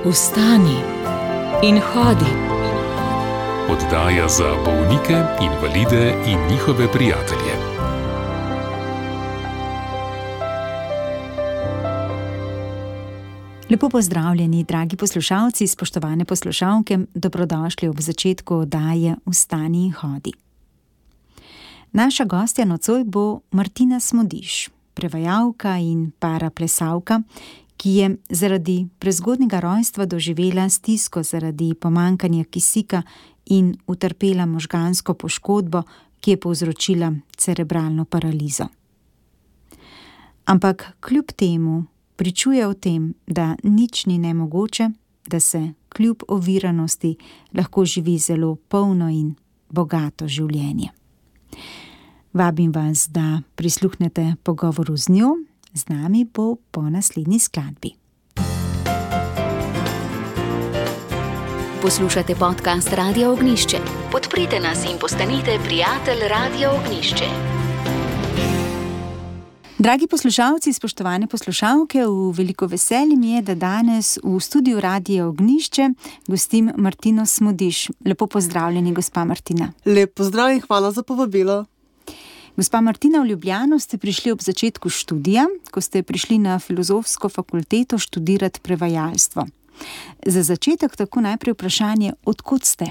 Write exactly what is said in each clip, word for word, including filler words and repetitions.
Vstani in hodi. Oddaja za bolnike, invalide in njihove prijatelje. Lepo pozdravljeni, dragi poslušalci, spoštovane poslušalke, dobrodošli ob začetku oddaje Vstani in hodi. Naša gostja nocoj bo Martina Smodiš, prevajalka in paraplesalka, ki je zaradi prezgodnjega rojstva doživela stisko zaradi pomanjkanja kisika in utrpela možgansko poškodbo, ki je povzročila cerebralno paralizo. Ampak kljub temu pričuje o tem, da nič ni nemogoče, da se kljub oviranosti lahko živi zelo polno in bogato življenje. Vabim vas, da prisluhnete pogovoru z njo, z nami bo po naslednji skladbi. Poslušate podcast Radia Ognjišče. Podprite nas in postanite prijatelj Radia Ognjišče. Dragi poslušalci, spoštovane poslušalke, v veliko veselje mi je, da danes v studiu Radia Ognjišče gostim Martino Smodiš. Lepo pozdravljeni, gospa Martina. Lep pozdrav in hvala za povabilo. Gospa Martina, v Ljubljano ste prišli ob začetku študija, ko ste prišli na Filozofsko fakulteto študirati prevajalstvo. Za začetek tako najprej vprašanje, od kod ste?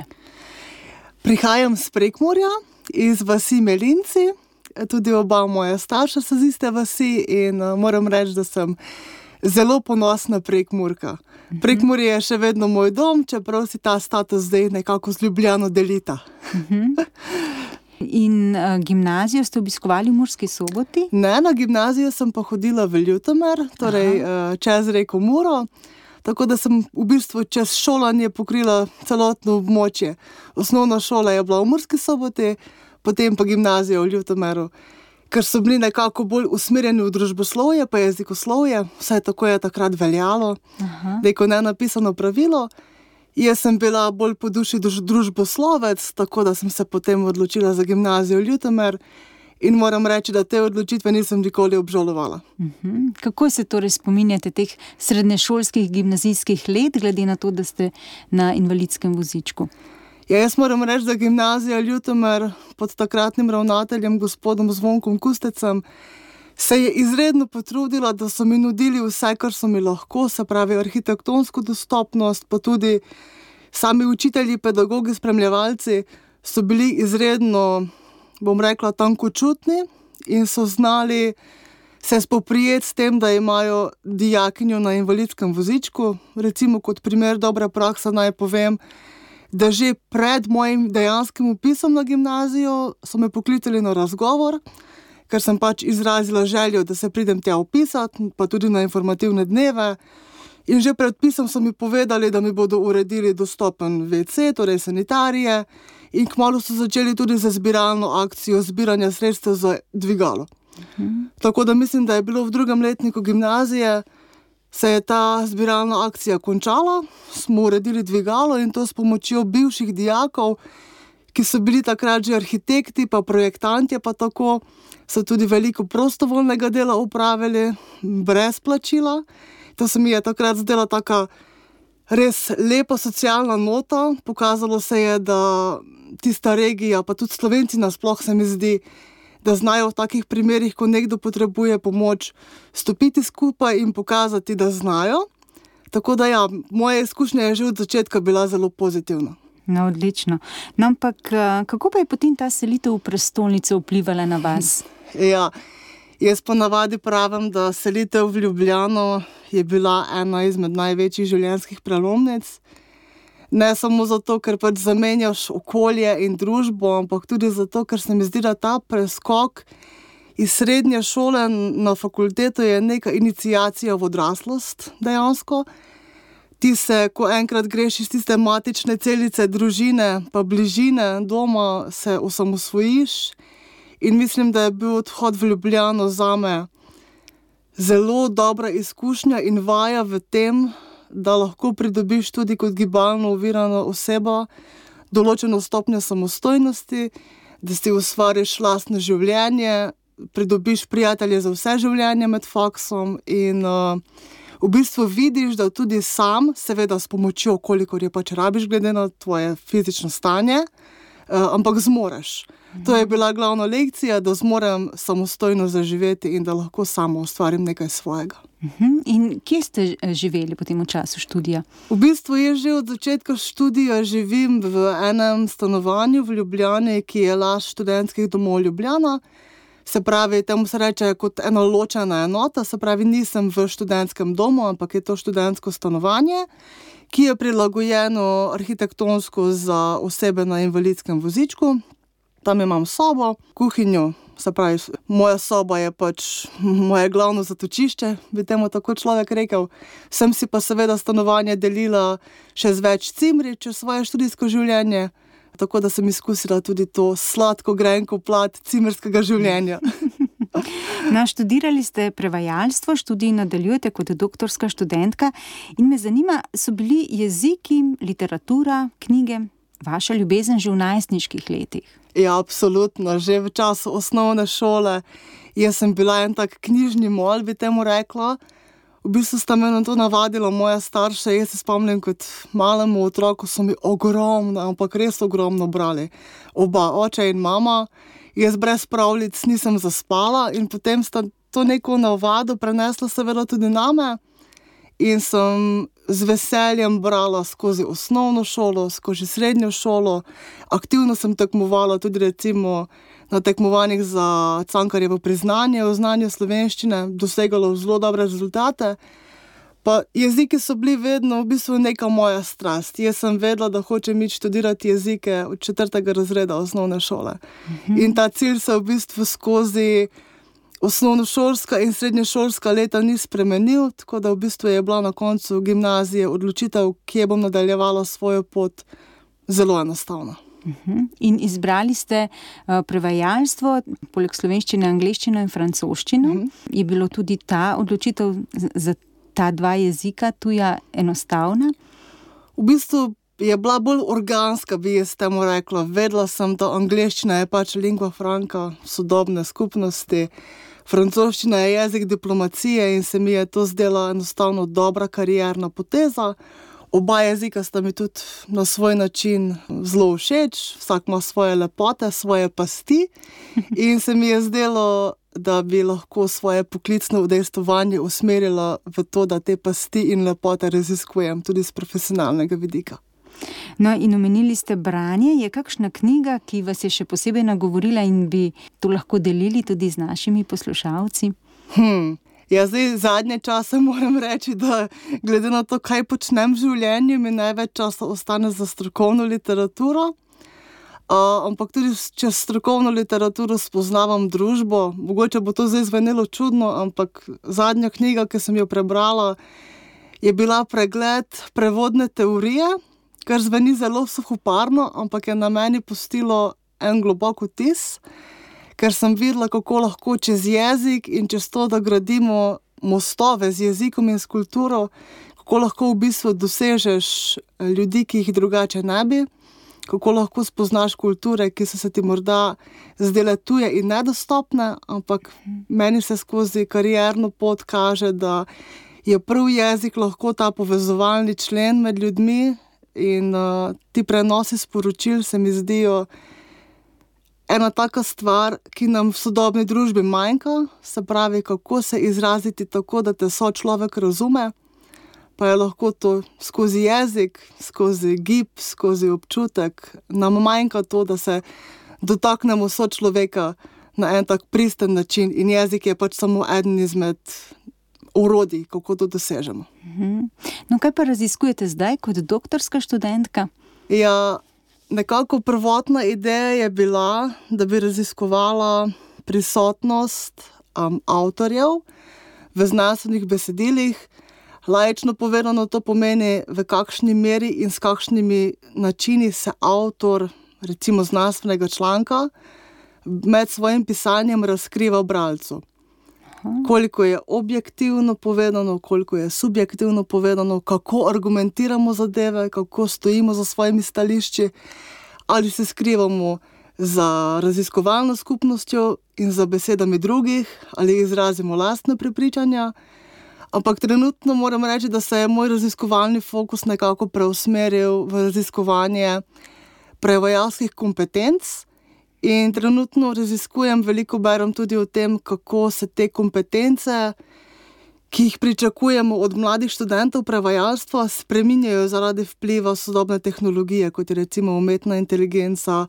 Prihajam z Prekmurja, iz vasi Melinci. Tudi oba moja starša so z iste vasi in uh, moram reči, da sem zelo ponosna Prekmurka. Uh-huh. Prekmurje je še vedno moj dom, čeprav si ta status zdaj nekako z Ljubljano delita. Uh-huh. In uh, gimnazijo ste obiskovali v Murski Soboti? Ne, na gimnazijo sem pa hodila v Ljutomer, torej uh, čez reko Muro, tako da sem v bistvu čez šolanje pokrila celotno območje. Osnovna šola je bila v Murski Soboti, potem pa gimnazija v Ljutomeru, ker so bili nekako bolj usmerjeni v družboslovje pa jezikoslovje, vsaj tako je takrat veljalo, da je kot nenapisano pravilo. Jaz sem bila bolj po duši družboslovec, tako da sem se potem odločila za gimnazijo v Ljutomer in moram reči, da te odločitve nisem nikoli obžalovala. Uh-huh. Kako se torej spominjate teh srednješolskih gimnazijskih let, glede na to, da ste na invalidskem vozičku? Ja, jaz moram reči, da gimnazija Ljutomer pod takratnim ravnateljem, gospodom Zvonkom Kustecem, se je izredno potrudila, da so mi nudili vse, kar so mi lahko, se pravi arhitektonsko dostopnost, pa tudi sami učitelji, pedagogi, spremljevalci so bili izredno, bom rekla, tankočutni in so znali se spoprijeti s tem, da imajo dijakinjo na invalidskem vozičku. Recimo kot primer dobre prakse naj povem, da že pred mojim dejanskim vpisom na gimnazijo so me poklicali na razgovor, ker sem pač izrazila željo, da se pridem tja vpisati, pa tudi na informativne dneve. In že pred vpisom so mi povedali, da mi bodo uredili dostopen ve ce, torej sanitarije, in kmalu so začeli tudi za zbiralno akcijo zbiranja sredstev za dvigalo. Mhm. Tako da mislim, da je bilo v drugem letniku gimnazije, se je ta zbiralna akcija končala, smo uredili dvigalo in to s pomočjo bivših dijakov, ki so bili takrat že arhitekti, pa projektanti, pa tako, so tudi veliko prostovoljnega dela upravili, brez plačila. To se mi je takrat zdela taka res lepa socialna nota. Pokazalo se je, da tista regija, pa tudi Slovenci nasploh se mi zdi, da znajo v takih primerih, ko nekdo potrebuje pomoč, stopiti skupaj in pokazati, da znajo. Tako da ja, moja izkušnja je že od začetka bila zelo pozitivna. No, odlično. No, ampak kako pa je potem ta selitev v prestolnico vplivala na vas? Ja, jaz ponavadi pravim, da selitev v Ljubljano je bila ena izmed največjih življenjskih prelomnic. Ne samo zato, ker pač zamenjaš okolje in družbo, ampak tudi zato, ker se mi zdi, da ta preskok iz srednje šole na fakulteto je neka iniciacija v odraslost dejansko. Ti se, ko enkrat greš iz tiste matične celice družine, pa bližine doma, se osamosvojiš. In mislim, da je bil odhod v Ljubljano zame zelo dobra izkušnja in vaja v tem, da lahko pridobiš tudi kot gibalno ovirana oseba določeno stopnjo samostojnosti, da si ustvariš lastno življenje, pridobiš prijatelje za vse življenje med faksom in uh, v bistvu vidiš, da tudi sam, seveda s pomočjo, kolikor je pač rabiš, glede na tvoje fizično stanje, uh, ampak zmoreš. Mhm. To je bila glavna lekcija, da zmorem samostojno zaživeti in da lahko samo ustvarim nekaj svojega. Mhm. In kje ste živeli potem v času študija? V bistvu jaz že od začetka študija živim v enem stanovanju v Ljubljani, ki je last študentskih domov Ljubljana. Se pravi, temu se reče kot ena ločena enota, se pravi, nisem v študentskem domu, ampak je to študentsko stanovanje, ki je prilagojeno arhitektonsko za osebe na invalidskem vozičku. Tam imam sobo, kuhinjo, se pravi, moja soba je pač moje glavno zatočišče, bi temu tako človek rekel. Sem si pa seveda stanovanje delila še z več cimri čez svoje študijsko življenje, tako da sem izkusila tudi to sladko grenko plat cimerskega življenja. No, študirali ste prevajalstvo, študij nadaljujete kot doktorska študentka in me zanima, so bili jeziki, literatura, knjige vaša ljubezen že v najstniških letih? Ja, absolutno. Že v času osnovne šole jaz sem bila en tak knjižni mol, bi temu rekla. V bistvu sta me na to navadila moja starša. Jaz se spomnim, kot malemu otroku so mi ogromno, ampak res ogromno brali. Oba, oče in mama. Jaz brez pravljic nisem zaspala in potem sta to neko navado prenesla seveda tudi name. In sem z veseljem brala skozi osnovno šolo, skozi srednjo šolo. Aktivno sem tekmovala tudi recimo na tekmovanjih za Cankarjevo priznanje o znanju slovenščine, dosegala zelo dobre rezultate. Pa jeziki so bili vedno v bistvu neka moja strast. Jaz sem vedela, da hočem iti študirati jezike od četrtega razreda osnovne šole. Mhm. In ta cilj se v bistvu skozi osnovnošolska in srednješolska leta ni spremenil, tako da v bistvu je bila na koncu gimnazije odločitev, kje bom nadaljevala svojo pot, zelo enostavna. Uh-huh. In izbrali ste uh, prevajalstvo, poleg slovenščine, angleščino in francoščino. Uh-huh. Je bilo tudi ta odločitev za ta dva jezika tuja enostavna? V bistvu je bila bolj organska, bi jaz temu rekla. Vedela sem, da angleščina je pač lingua franca sodobne skupnosti. Francoščina je jezik diplomacije in se mi je to zdela enostavno dobra karierna poteza. Oba jezika sta mi tudi na svoj način zelo všeč, vsak ima svoje lepote, svoje pasti in se mi je zdelo, da bi lahko svoje poklicno udejstvovanje usmerila v to, da te pasti in lepote raziskujem tudi z profesionalnega vidika. No, in omenili ste branje. Je kakšna knjiga, ki vas je še posebej nagovorila in bi to lahko delili tudi z našimi poslušalci? Hmm. Ja, zdaj zadnje čase moram reči, da glede na to, kaj počnem v življenju, mi največ časa ostane za strokovno literaturo. Uh, ampak tudi čez strokovno literaturo spoznavam družbo. Mogoče bo to zdaj zvenelo čudno, ampak zadnja knjiga, ki sem jo prebrala, je bila pregled prevodne teorije, kar zveni zelo suhoparno, ampak je na meni pustilo en globok vtis, ker sem videla, kako lahko čez jezik in čez to, da gradimo mostove z jezikom in s kulturo, kako lahko v bistvu dosežeš ljudi, ki jih drugače ne bi, kako lahko spoznaš kulture, ki so se ti morda zdele tuje in nedostopne, ampak meni se skozi karierno pot kaže, da je prav jezik lahko ta povezovalni člen med ljudmi in uh, ti prenosi sporočil se mi zdijo ena taka stvar, ki nam v sodobni družbi manjka, se pravi, kako se izraziti tako, da te sočlovek razume, pa je lahko to skozi jezik, skozi gib, skozi občutek. Nam manjka to, da se dotaknemo sočloveka na en tak pristen način in jezik je pač samo eden izmed orodij, kako to dosežemo. No, kaj pa raziskujete zdaj kot doktorska študentka? Ja, nekako prvotna ideja je bila, da bi raziskovala prisotnost um, avtorjev v znanstvenih besedilih. Laično povedano to pomeni, v kakšni meri in s kakšnimi načini se avtor, recimo znanstvenega članka, med svojim pisanjem razkriva bralcu. Koliko je objektivno povedano, koliko je subjektivno povedano, kako argumentiramo zadeve, kako stojimo za svojimi stališči, ali se skrivamo za raziskovalno skupnostjo in za besedami drugih, ali izrazimo lastne prepričanja, Ampak trenutno moram reči, da se je moj raziskovalni fokus nekako preusmeril v raziskovanje prevajalskih kompetenc in trenutno raziskujem, veliko berem tudi o tem, kako se te kompetence, ki jih pričakujemo od mladih študentov prevajalstva, spreminjajo zaradi vpliva sodobne tehnologije, kot je recimo umetna inteligenca,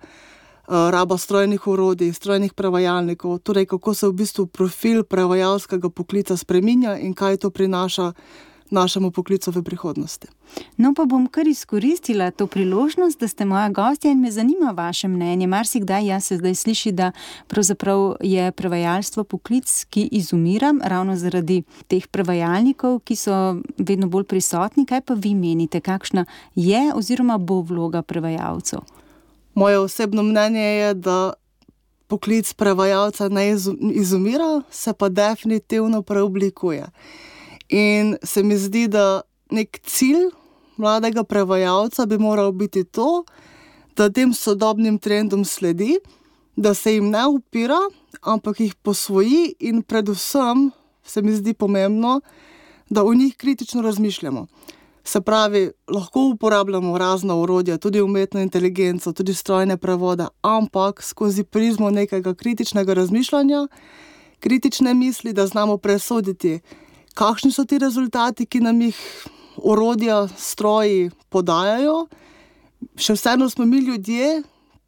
raba strojnih orodij, strojnih prevajalnikov, torej kako se v bistvu profil prevajalskega poklica spreminja in kaj to prinaša našemu poklicu v prihodnosti. No, pa bom kar izkoristila to priložnost, da ste moja gostja in me zanima vaše mnenje. Marsikdaj jaz se zdaj sliši, da pravzaprav je prevajalstvo poklic, ki izumira ravno zaradi teh prevajalnikov, ki so vedno bolj prisotni. Kaj pa vi menite, kakšna je oziroma bo vloga prevajalcev? Moje osebno mnenje je, da poklic prevajalca ne izumira, se pa definitivno preoblikuje. In se mi zdi, da nek cilj mladega prevajalca bi moral biti to, da tem sodobnim trendom sledi, da se jim ne upira, ampak jih posvoji in predvsem se mi zdi pomembno, da o njih kritično razmišljamo. Se pravi, lahko uporabljamo razna orodja, tudi umetno inteligenco, tudi strojne prevode, ampak skozi prizmo nekega kritičnega razmišljanja, kritične misli, da znamo presoditi, kakšni so ti rezultati, ki nam jih orodja, stroji podajajo. Še vseeno smo mi ljudje,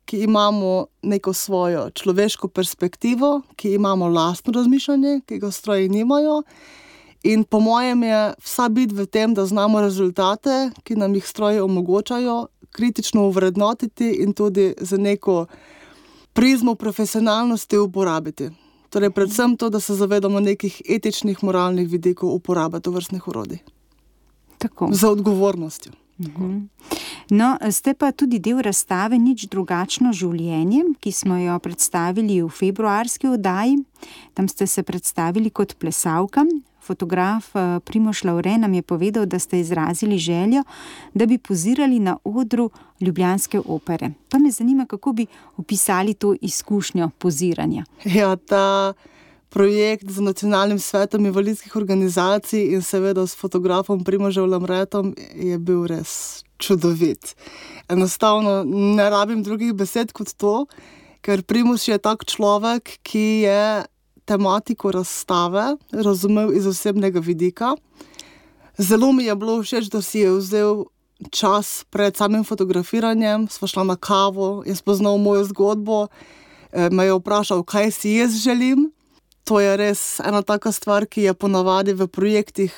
ki imamo neko svojo človeško perspektivo, ki imamo lastno razmišljanje, ki ga stroji nimajo. In po mojem je vsa bit v tem, da znamo rezultate, ki nam jih stroji omogočajo, kritično ovrednotiti in tudi za neko prizmo profesionalnosti uporabiti. Torej predvsem to, da se zavedamo nekih etičnih, moralnih vidikov uporabe tovrstnih orodij. Tako. Za odgovornostjo. Uh-huh. No, ste pa tudi del razstave Nič drugačno življenje, ki smo jo predstavili v februarski oddaji. Tam ste se predstavili kot plesalka. Fotograf Primož Lavre nam je povedal, da ste izrazili željo, da bi pozirali na odru ljubljanske opere. Pa me zanima, kako bi opisali to izkušnjo poziranja. Ja, ta projekt z Nacionalnim svetom invalidskih organizacij in seveda s fotografom Primožem Lavretom je bil res čudovit. Enostavno ne rabim drugih besed kot to, ker Primož je tak človek, ki je tematiko razstave razumel iz osebnega vidika. Zelo mi je bilo všeč, da si je vzel čas pred samim fotografiranjem, sva šla na kavo, je spoznal mojo zgodbo, me je vprašal, kaj si jaz želim. To je res ena taka stvar, ki je ponavadi v projektih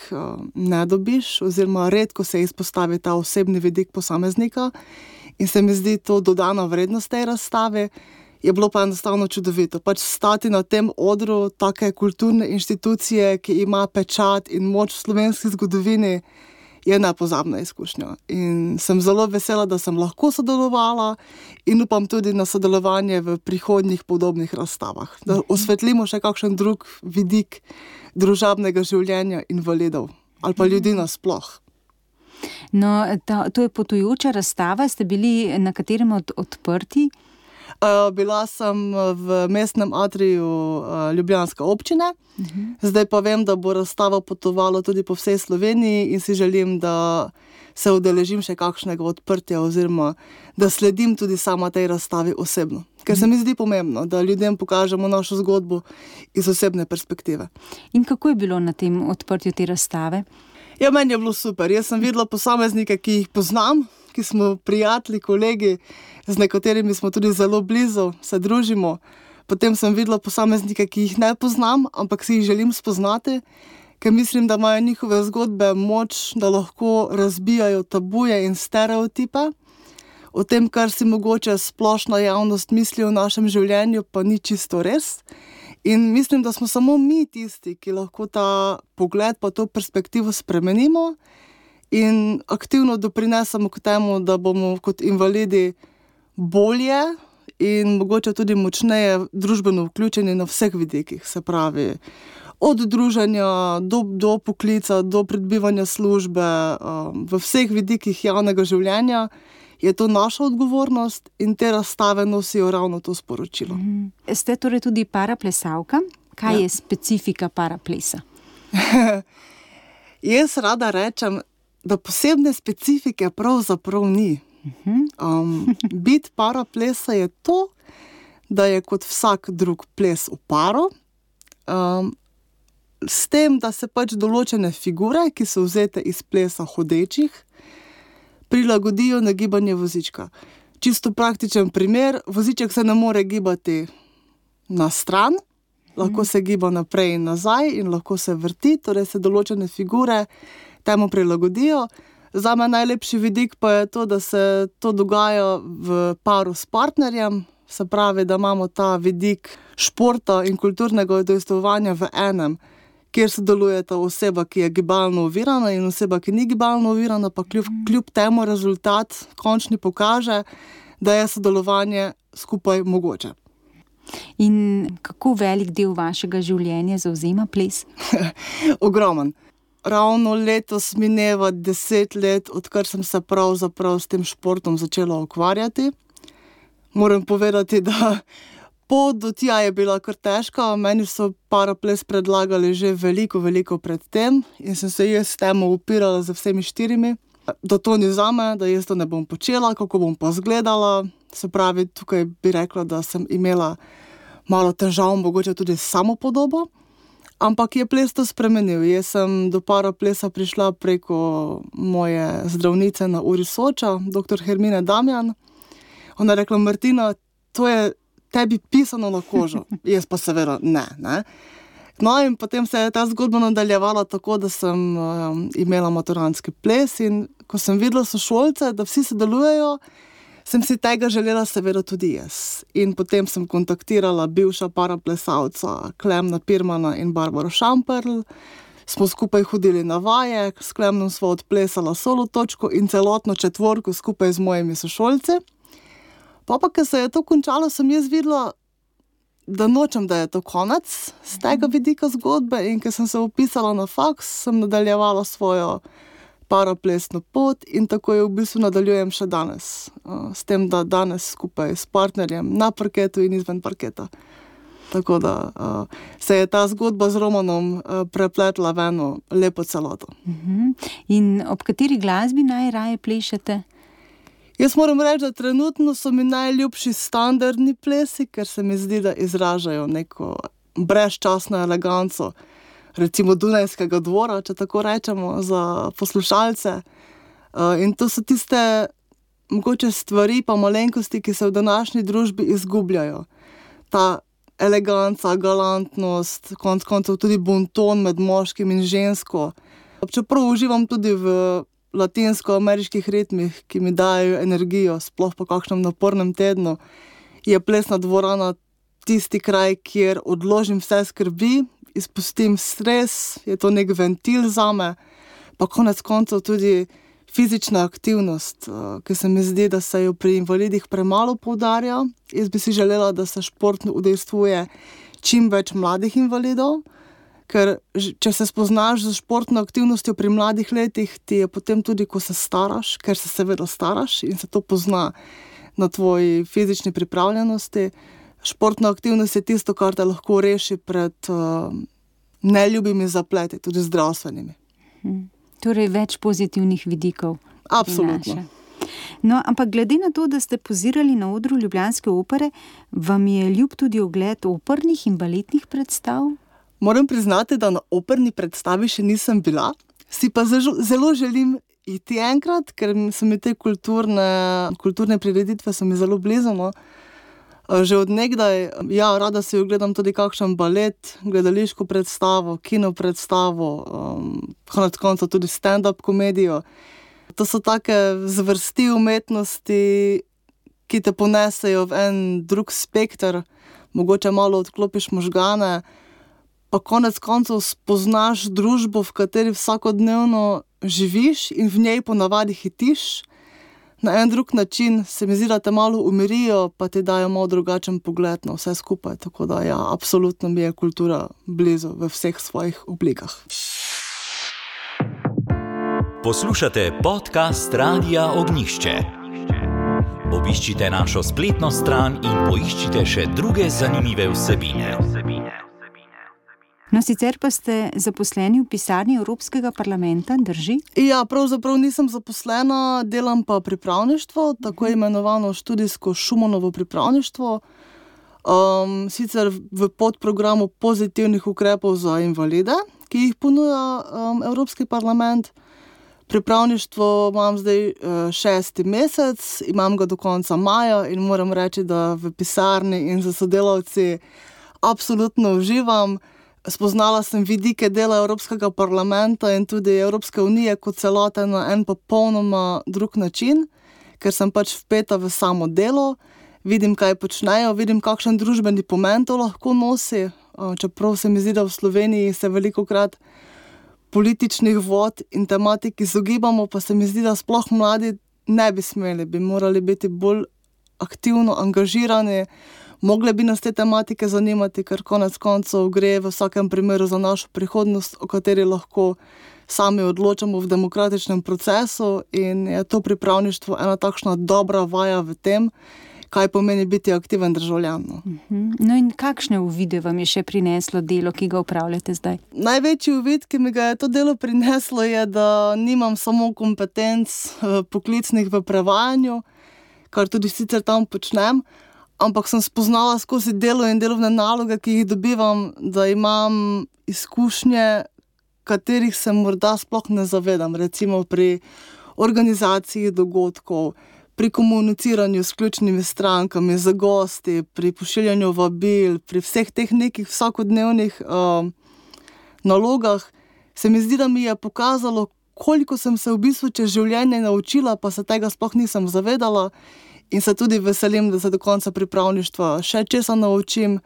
ne dobiš, oziroma redko se izpostavi ta osebni vidik posameznika in se mi zdi to dodana vrednost tej razstavi. Je bilo pa enostavno čudovito. Pač stati na tem odru take kulturne inštitucije, ki ima pečat in moč v slovenski zgodovini, je nepozabna izkušnja. In sem zelo vesela, da sem lahko sodelovala in upam tudi na sodelovanje v prihodnjih podobnih razstavah. Da osvetlimo še kakšen drug vidik družabnega življenja invalidov ali pa ljudi nasploh. No, ta, to je potujoča razstava. Ste bili na katerem od odprti? Uh, bila sem v mestnem atriju uh, ljubljanske občine, uh-huh. Zdaj pa vem, da bo razstava potovala tudi po vsej Sloveniji in si želim, da se udeležim še kakšnega odprtja oziroma da sledim tudi sama tej razstavi osebno. Ker se mi zdi pomembno, da ljudem pokažemo našo zgodbo iz osebne perspektive. In kako je bilo na tem odprtju te razstave? Ja, meni je bilo super. Jaz sem videla posameznike, ki jih poznam, ki smo prijatelji, kolegi, z nekaterimi smo tudi zelo blizu, se družimo. Potem sem videla posameznike, ki jih ne poznam, ampak si jih želim spoznati, ker mislim, da imajo njihove zgodbe moč, da lahko razbijajo tabuje in stereotipe. O tem, kar si mogoče splošna javnost misli o našem življenju, pa ni čisto res. In mislim, da smo samo mi tisti, ki lahko ta pogled pa to perspektivo spremenimo in aktivno doprinesemo k temu, da bomo kot invalidi bolje in mogoče tudi močneje družbeno vključeni na vseh vidikih, se pravi od druženja do, do poklica, do pridobivanja službe, v vseh vidikih javnega življenja je to naša odgovornost in te razstave nosijo ravno to sporočilo. Mm. Ste torej tudi paraplesalka? Kaj ja. je specifika paraplesa? Jaz rada rečem, da posebne specifike pravzaprav ni. Um, bit paraplesa je to, da je kot vsak drug ples v paru, um, s tem, da se pač določene figure, ki so vzete iz plesa hodečih, prilagodijo na gibanje vozička. Čisto praktičen primer, voziček se ne more gibati na stran, lahko se giba naprej in nazaj in lahko se vrti, torej se določene figure temu prilagodijo. Zame najlepši vidik pa je to, da se to dogaja v paru s partnerjem, se pravi, da imamo ta vidik športa in kulturnega udejstvovanja v enem, kjer sodelujeta oseba, ki je gibalno ovirana in oseba, ki ni gibalno ovirana, pa kljub, kljub temu rezultat končni pokaže, da je sodelovanje skupaj mogoče. In kako velik del vašega življenja zavzema ples? Ogromen. Ravno letos mineva deset let, odkar sem se pravzaprav s tem športom začela ukvarjati. Moram povedati, da pot do tja je bila kar težka. Meni so paraples predlagali že veliko, veliko pred tem in sem se jaz s temu upirala z vsemi štirimi. Da to ni zame, da jaz to ne bom počela, kako bom pa izgledala. Se pravi, tukaj bi rekla, da sem imela malo težav, mogoče tudi samopodobo. Ampak je ples to spremenil. Jaz sem do paraplesa prišla preko moje zdravnice na Uri Soča, doktor Hermine Damjan. Ona je rekla, Martina, to je tebi pisano na kožo. Jaz pa seveda ne, ne. No in potem se je ta zgodba nadaljevala tako, da sem um, imela maturantski ples in ko sem videla sošolce, da vsi sodelujejo, sem si tega želela seveda tudi jaz. In potem sem kontaktirala bivša paraplesalca Klemna Pirmana in Barbaro Šamperl. Smo skupaj hodili na vaje, s Klemnom sva odplesala solo točko in celotno četvorko skupaj z mojimi sošolci. Pa pa, ko se je to končalo, sem jaz videla, da nočem, da je to konec z tega vidika zgodbe in ko sem se upisala na faks, sem nadaljevala svojo paraplesno pot in tako jo v bistvu nadaljujem še danes. S tem, da danes skupaj s partnerjem na parketu in izven parketa. Tako da se je ta zgodba z Romanom prepletla v eno lepo celoto. In ob kateri glasbi najraje plešete? Jaz moram reči, da trenutno so mi najljubši standardni plesi, ker se mi zdi, da izražajo neko brezčasno eleganco, recimo Dunajskega dvora, če tako rečemo, za poslušalce. In to so tiste mogoče stvari pa malenkosti, ki se v današnji družbi izgubljajo. Ta eleganca, galantnost, konec koncev tudi bonton med moškim in žensko. Čeprav uživam tudi v latinsko-ameriških ritmih, ki mi dajo energijo, sploh po kakšnem napornem tednu, je plesna dvorana tisti kraj, kjer odložim vse skrbi, izpustim stres, je to nek ventil zame, pa konec koncev tudi fizična aktivnost, ki se mi zdi, da se jo pri invalidih premalo poudarja. Jaz bi si želela, da se športno udejstvuje čim več mladih invalidov, ker če se spoznaš z športno aktivnostjo pri mladih letih, ti je potem tudi, ko se staraš, ker se seveda staraš in se to pozna na tvoji fizični pripravljenosti. Športna aktivnost je tisto, kar te lahko reši pred uh, neljubimi zapleti, tudi zdravstvenimi. Hmm. Torej več pozitivnih vidikov. Absolutno. No, ampak glede na to, da ste pozirali na odru ljubljanske opere, vam je ljub tudi ogled opernih in baletnih predstav? Moram priznati, da na operni predstavi še nisem bila, si pa zelo želim iti enkrat, ker so mi te kulturne, kulturne prireditve so mi zelo blizu, no. Že od nekdaj, ja, rada si ogledam tudi kakšen balet, gledališko predstavo, kino predstavo, um, konec konca tudi stand-up komedijo. To so take zvrsti umetnosti, ki te ponesejo v en drug spekter, mogoče malo odklopiš možgane, pa konec koncev spoznaš družbo, v kateri vsakodnevno živiš in v njej ponavadi hitiš. Na en drug način se mi zdi, da te malo umirijo, pa ti dajo malo drugačen pogled na vse skupaj. Tako da ja, absolutno mi je kultura blizu v vseh svojih oblikah. Poslušate podcast Radia Ognjišče. Obiščite našo spletno stran in poiščite še druge zanimive vsebine. No, sicer pa ste zaposleni v pisarni Evropskega parlamenta, drži? Ja, pravzaprav nisem zaposlena, delam pa pripravništvo, tako imenovano študijsko Schumannovo pripravništvo. Um, sicer v podprogramu pozitivnih ukrepov za invalide, ki jih ponuja um, Evropski parlament. Pripravništvo imam zdaj uh, šesti mesec, imam ga do konca maja in moram reči, da v pisarni in za sodelavci absolutno uživam. Spoznala sem vidike dela Evropskega parlamenta in tudi Evropske unije kot celote na en popolnoma drug način, ker sem pač vpeta v samo delo, vidim, kaj počnejo, vidim, kakšen družbeni pomen to lahko nosi, čeprav se mi zdi, da v Sloveniji se velikokrat političnih vod in tematik izogibamo, pa se mi zdi, da sploh mladi ne bi smeli, bi morali biti bolj aktivno angažirani, mogle bi nas te tematike zanimati, ker konec koncev gre v vsakem primeru za našo prihodnost, o kateri lahko sami odločamo v demokratičnem procesu in je to pripravništvo ena takšna dobra vaja v tem, kaj pomeni biti aktiven državljan. No in kakšne uvide vam je še prineslo delo, ki ga upravljate zdaj? Največji uvid, ki mi ga je to delo prineslo, je, da nimam samo kompetenc poklicnih v prevajanju, kar tudi sicer tam počnem, ampak sem spoznala skozi delo in delovne naloge, ki jih dobivam, da imam izkušnje, katerih se morda sploh ne zavedam, recimo pri organizaciji dogodkov, pri komuniciranju s ključnimi strankami, za gosti, pri pošiljanju vabil, pri vseh teh nekih vsakodnevnih uh, nalogah, se mi zdi, da mi je pokazalo, koliko sem se v bistvu čez življenje naučila, pa se tega sploh nisem zavedala in se tudi veselim, da se do konca pripravništva še česa naučim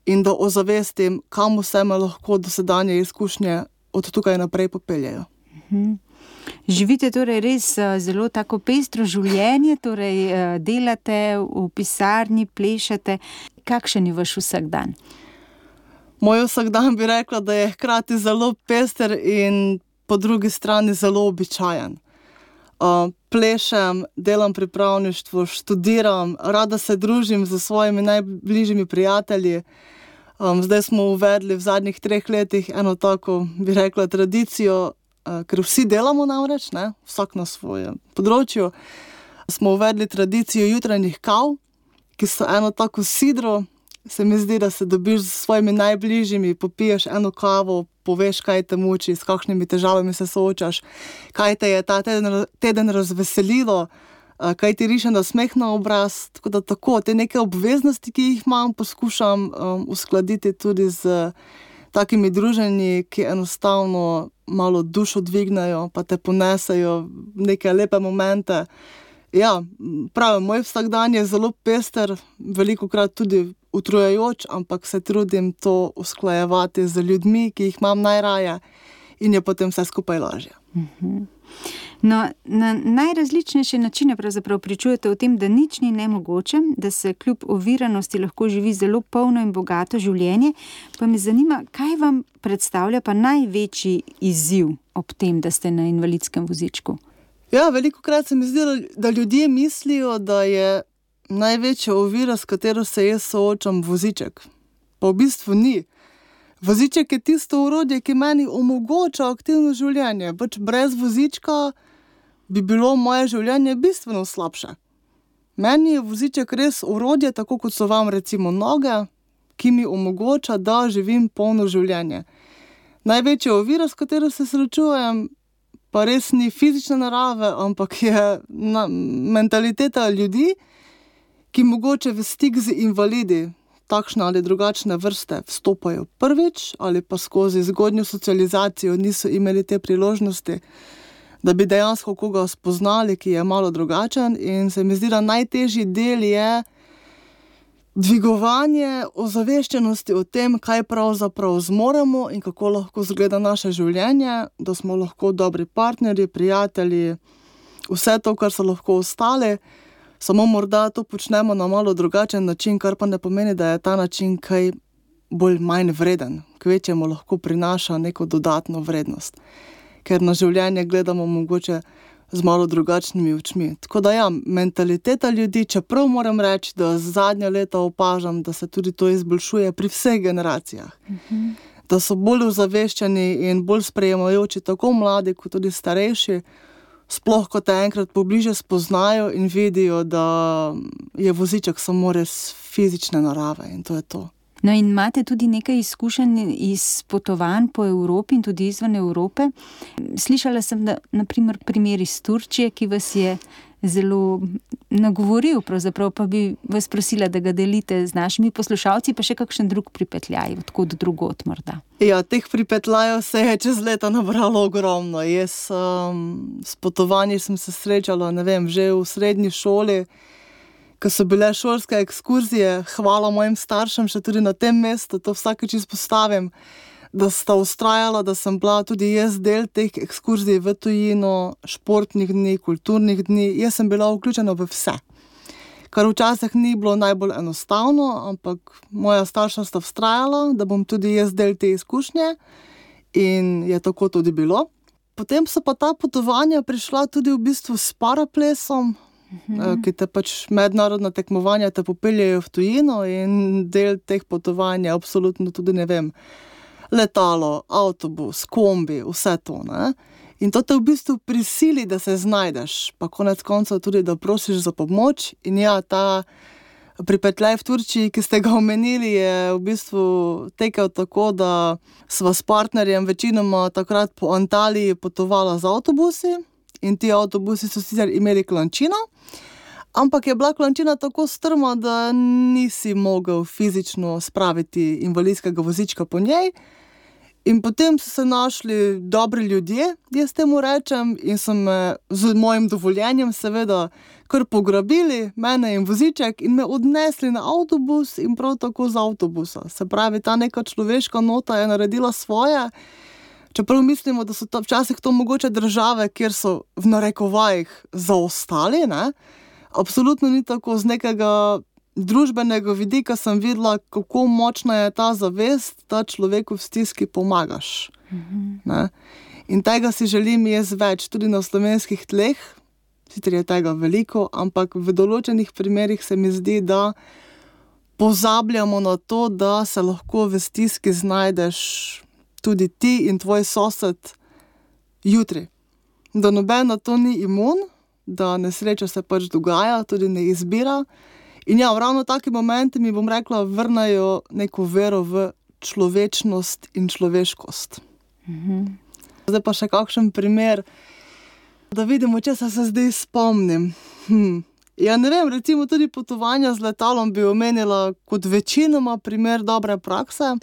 in da ozavestim, kam vse me lahko dosedanje izkušnje od tukaj naprej popeljejo. Mhm. Živite torej res zelo tako pestro življenje, torej delate v pisarni, plešete. Kakšen je vaš vsakdan? Moj vsakdan bi rekla, da je hkrati zelo pester in po drugi strani zelo običajen. Uh, plešem, delam pripravništvo, študiram, rada se družim z svojimi najbližjimi prijatelji. Um, zdaj smo uvedli v zadnjih treh letih eno tako, bi rekla, tradicijo, ker vsi delamo namreč, ne, vsak na svojem področju, smo uvedli tradicijo jutranjih kav, ki so eno tako sidro, se mi zdi, da se dobiš z svojimi najbližjimi, popiješ eno kavo, poveš, kaj te muči, s kakšnimi težavami se soočaš, kaj te je ta teden, teden razveselilo, kaj ti riše nasmeh na obraz, tako da tako, te neke obveznosti, ki jih imam, poskušam um, uskladiti tudi z takimi druženji, ki enostavno malo dušo dvignajo, pa te ponesajo neke lepe momente. Ja, pravim, moj vsakdan je zelo pester, velikokrat tudi utrujajoč, ampak se trudim to usklajevati z ljudmi, ki jih imam najraje in je potem vse skupaj lažje. Mhm. No, na najrazličnejše načine pravzaprav pričujete o tem, da nič ni nemogoče, da se kljub oviranosti lahko živi zelo polno in bogato življenje. Pa me zanima, kaj vam predstavlja pa največji izziv ob tem, da ste na invalidskem vozičku? Ja, velikokrat se mi zdi, da ljudje mislijo, da je največja ovira, s katero se jaz soočam, voziček. Pa v bistvu ni. Voziček je tisto orodje, ki meni omogoča aktivno življenje. Pač brez vozička bi bilo moje življenje bistveno slabše. Meni je voziček res orodje, tako kot so vam recimo noge, ki mi omogoča, da živim polno življenje. Največja ovira, s katero se srečujem, pa res ni fizične narave, ampak je na, mentaliteta ljudi, ki mogoče v stik z invalidi, takšne ali drugačne vrste, vstopajo prvič ali pa skozi zgodnjo socializacijo niso imeli te priložnosti, da bi dejansko koga spoznali, ki je malo drugačen, in se mi zdi, da najtežji del je dvigovanje ozaveščenosti o tem, kaj pravzaprav zmoremo in kako lahko izgleda naše življenje, da smo lahko dobri partnerji, prijatelji, vse to, kar so lahko ostali, samo morda to počnemo na malo drugačen način, kar pa ne pomeni, da je ta način kaj bolj manj vreden, kvečjemu lahko prinaša neko dodatno vrednost, ker na življenje gledamo mogoče z malo drugačnimi očmi. Tako da ja, mentaliteta ljudi, čeprav moram reči, da zadnja leta opažam, da se tudi to izboljšuje pri vseh generacijah. Mhm. da so bolj ozaveščeni in bolj sprejemajoči, tako mladi kot tudi starejši, sploh ko te enkrat pobliže spoznajo in vidijo, da je voziček samo res fizične narave in to je to. No in imate tudi nekaj izkušenj iz potovanj po Evropi in tudi izven Evrope. Slišala sem, da naprimer primer iz Turčije, ki vas je zelo nagovoril, pravzaprav pa bi vas prosila, da ga delite z našimi poslušalci, pa še kakšen drug pripetljaj, odkot drugot morda. Ja, teh pripetljajev se je čez leta nabralo ogromno. Jaz um, s potovanji sem se srečala, ne vem, že v srednji šoli, ko so bile šolske ekskurzije, hvala mojim staršem še tudi na tem mestu, to vsakič izpostavim, da sta ustrajala, da sem bila tudi jaz del teh ekskurzij v tujino, športnih dni, kulturnih dni. Jaz sem bila vključena v vse, kar včasih ni bilo najbolj enostavno, ampak moja starša sta vztrajala, da bom tudi jaz del te izkušnje in je tako tudi bilo. Potem so pa ta potovanja prišla tudi v bistvu s paraplesom, Mhm. ki te pač mednarodna tekmovanja te popeljejo v tujino in del teh potovanj je absolutno tudi, ne vem, letalo, avtobus, kombi, vse to, ne. In to te v bistvu prisili, da se znajdeš, pa konec koncev tudi, da prosiš za pomoč. In ja, ta pripetljaj v Turčiji, ki ste ga omenili, je v bistvu tekel tako, da sva s partnerjem večinoma takrat po Antaliji potovala z avtobusi in ti avtobusi so sicer imeli klančino, ampak je bila klančina tako strma, da nisi mogel fizično spraviti invalidskega vozička po njej. In potem so se našli dobri ljudje, jaz temu rečem, in so me z mojim dovoljenjem seveda kar pograbili, mene in voziček, in me odnesli na avtobus in prav tako z avtobusa. Se pravi, ta neka človeška nota je naredila svoje, čeprav mislimo, da so to včasih to mogoče države, kjer so v narekovajih zaostali, ne? Absolutno ni tako. Z nekega družbenega vidika sem videla, kako močna je ta zavest, da človeku v stiski pomagaš. Mhm. Ne? In tega si želim jaz več, tudi na slovenskih tleh, sicer je tega veliko, ampak v določenih primerih se mi zdi, da pozabljamo na to, da se lahko v stiski znajdeš tudi ti in tvoj sosed jutri. Da noben na to ni imun, da nesreča se pač dogaja, tudi ne izbira. In ja, ravno taki momenti mi, bom rekla, vrnajo neko vero v človečnost in človeškost. Mhm. Zdaj pa še kakšen primer, da vidimo, če se zdaj spomnim. Hm. Ja, ne vem, recimo tudi potovanja z letalom bi omenila kot večinoma primer dobre prakse.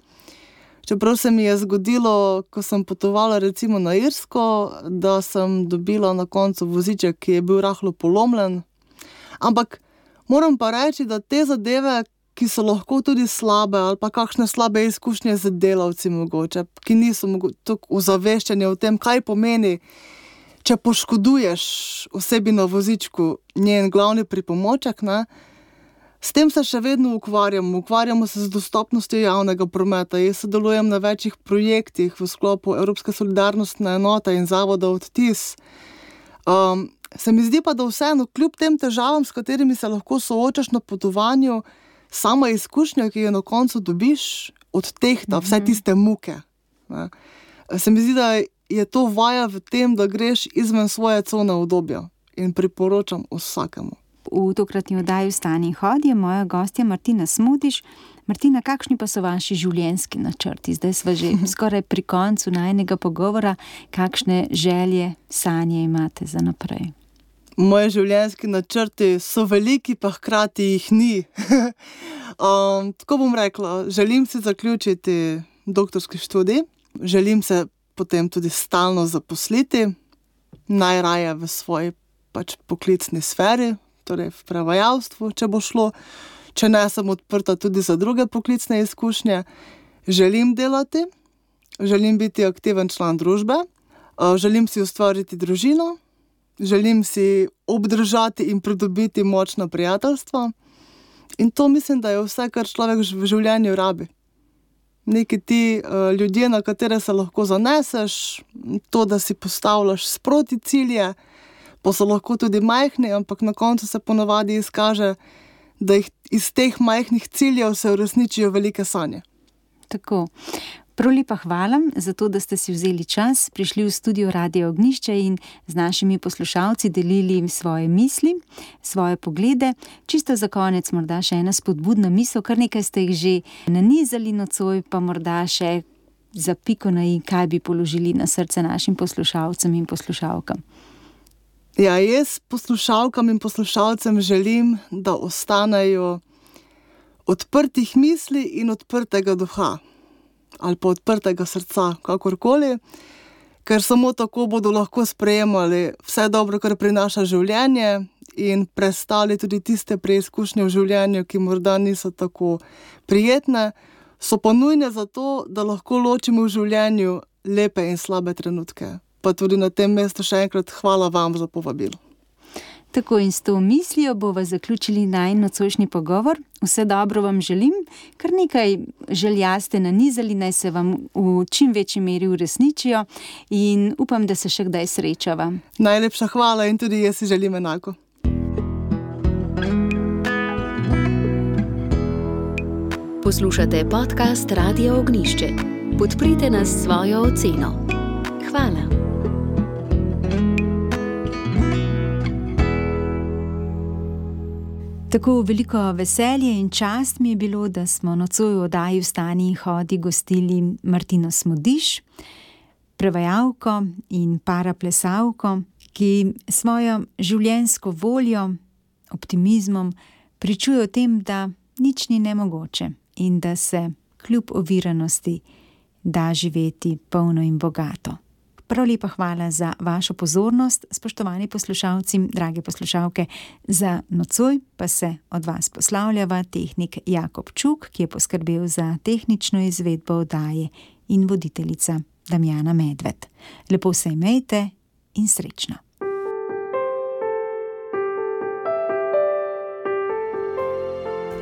Čeprav se mi je zgodilo, ko sem potovala recimo na Irsko, da sem dobila na koncu voziček, ki je bil rahlo polomljen. Ampak moram pa reči, da te zadeve, ki so lahko tudi slabe ali pa kakšne slabe izkušnje z delavci mogoče, ki niso tako ozaveščeni o tem, kaj pomeni, če poškoduješ osebi na vozičku njen glavni pripomoček, ne, s tem se še vedno ukvarjamo. Ukvarjamo se z dostopnostjo javnega prometa. Jaz sodelujem na večjih projektih v sklopu Evropske solidarnostne enote in zavoda Odtis. Um, se mi zdi pa, da vseeno, kljub tem težavam, s katerimi se lahko soočaš na potovanju, sama izkušnja, ki jo na koncu dobiš, odtehta vse tiste muke. Ne. Se mi zdi, da je to vaja v tem, da greš izven svoje cone udobja in priporočam vsakemu. V tokratni oddaji Vstani in hodi je moja gostja Martina Smodiš. Martina, kakšni pa so vaši življenjski načrti? Zdaj sva že skoraj pri koncu najinega pogovora. Kakšne želje, sanje imate za naprej? Moji življenjski načrti so veliki, pa hkrati jih ni. um, tako bom rekla, želim si zaključiti doktorski študij, želim se potem tudi stalno zaposliti, najraje v svoji pač poklicni sferi, torej v prevajalstvu, če bo šlo, če ne, sem odprta tudi za druge poklicne izkušnje. Želim delati, želim biti aktiven član družbe, želim si ustvariti družino, želim si obdržati in pridobiti močna prijateljstva in to mislim, da je vse, kar človek v življenju rabi. Neki ti ljudje, na katere se lahko zaneseš, to, da si postavljaš sproti cilje, pa so lahko tudi majhni, ampak na koncu se ponavadi izkaže, da jih iz teh majhnih ciljev se uresničijo velike sanje. Tako. Prav lepa hvala za to, da ste si vzeli čas, prišli v studio Radia Ognjišče in z našimi poslušalci delili svoje misli, svoje poglede. Čisto za konec morda še ena spodbudna misel, kar nekaj ste jih že nanizali nocoj, pa morda še za piko na i, kaj bi položili na srce našim poslušalcem in poslušalkam. Ja, jaz poslušalkam in poslušalcem želim, da ostanejo odprtih misli in odprtega duha. Ali pa odprtega srca, kakorkoli, ker samo tako bodo lahko sprejemali vse dobro, kar prinaša življenje in prestali tudi tiste preizkušnje v življenju, ki morda niso tako prijetne, so pa nujne za to, da lahko ločimo v življenju lepe in slabe trenutke. Pa tudi na tem mestu še enkrat hvala vam za povabilo. Tako in s to mislijo bova zaključili najin nocojšnji pogovor. Vse dobro vam želim, kar nekaj želja ste nanizali, naj se vam v čim večji meri uresničijo in upam, da se še kdaj srečava. Najlepša hvala in tudi jaz si želim enako. Poslušate podcast Radia Ognjišče. Podprite nas s svojo oceno. Hvala. Tako veliko veselje in čast mi je bilo, da smo nocoj v oddaji Vstani in hodi gostili Martino Smodiš, prevajalko in paraplesalko, ki svojo življenjsko voljo, optimizmom pričuje o tem, da nič ni nemogoče in da se kljub oviranosti da živeti polno in bogato. Prav lepa hvala za vašo pozornost, spoštovani poslušalci, drage poslušalke. Za nocoj pa se od vas poslavljava tehnik Jakob Čuk, ki je poskrbel za tehnično izvedbo oddaje, in voditeljica Damjana Medved. Lepo se imejte in srečno.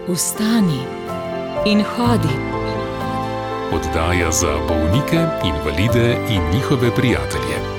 Vstani in hodi. Oddaja za bolnike, invalide in njihove prijatelje.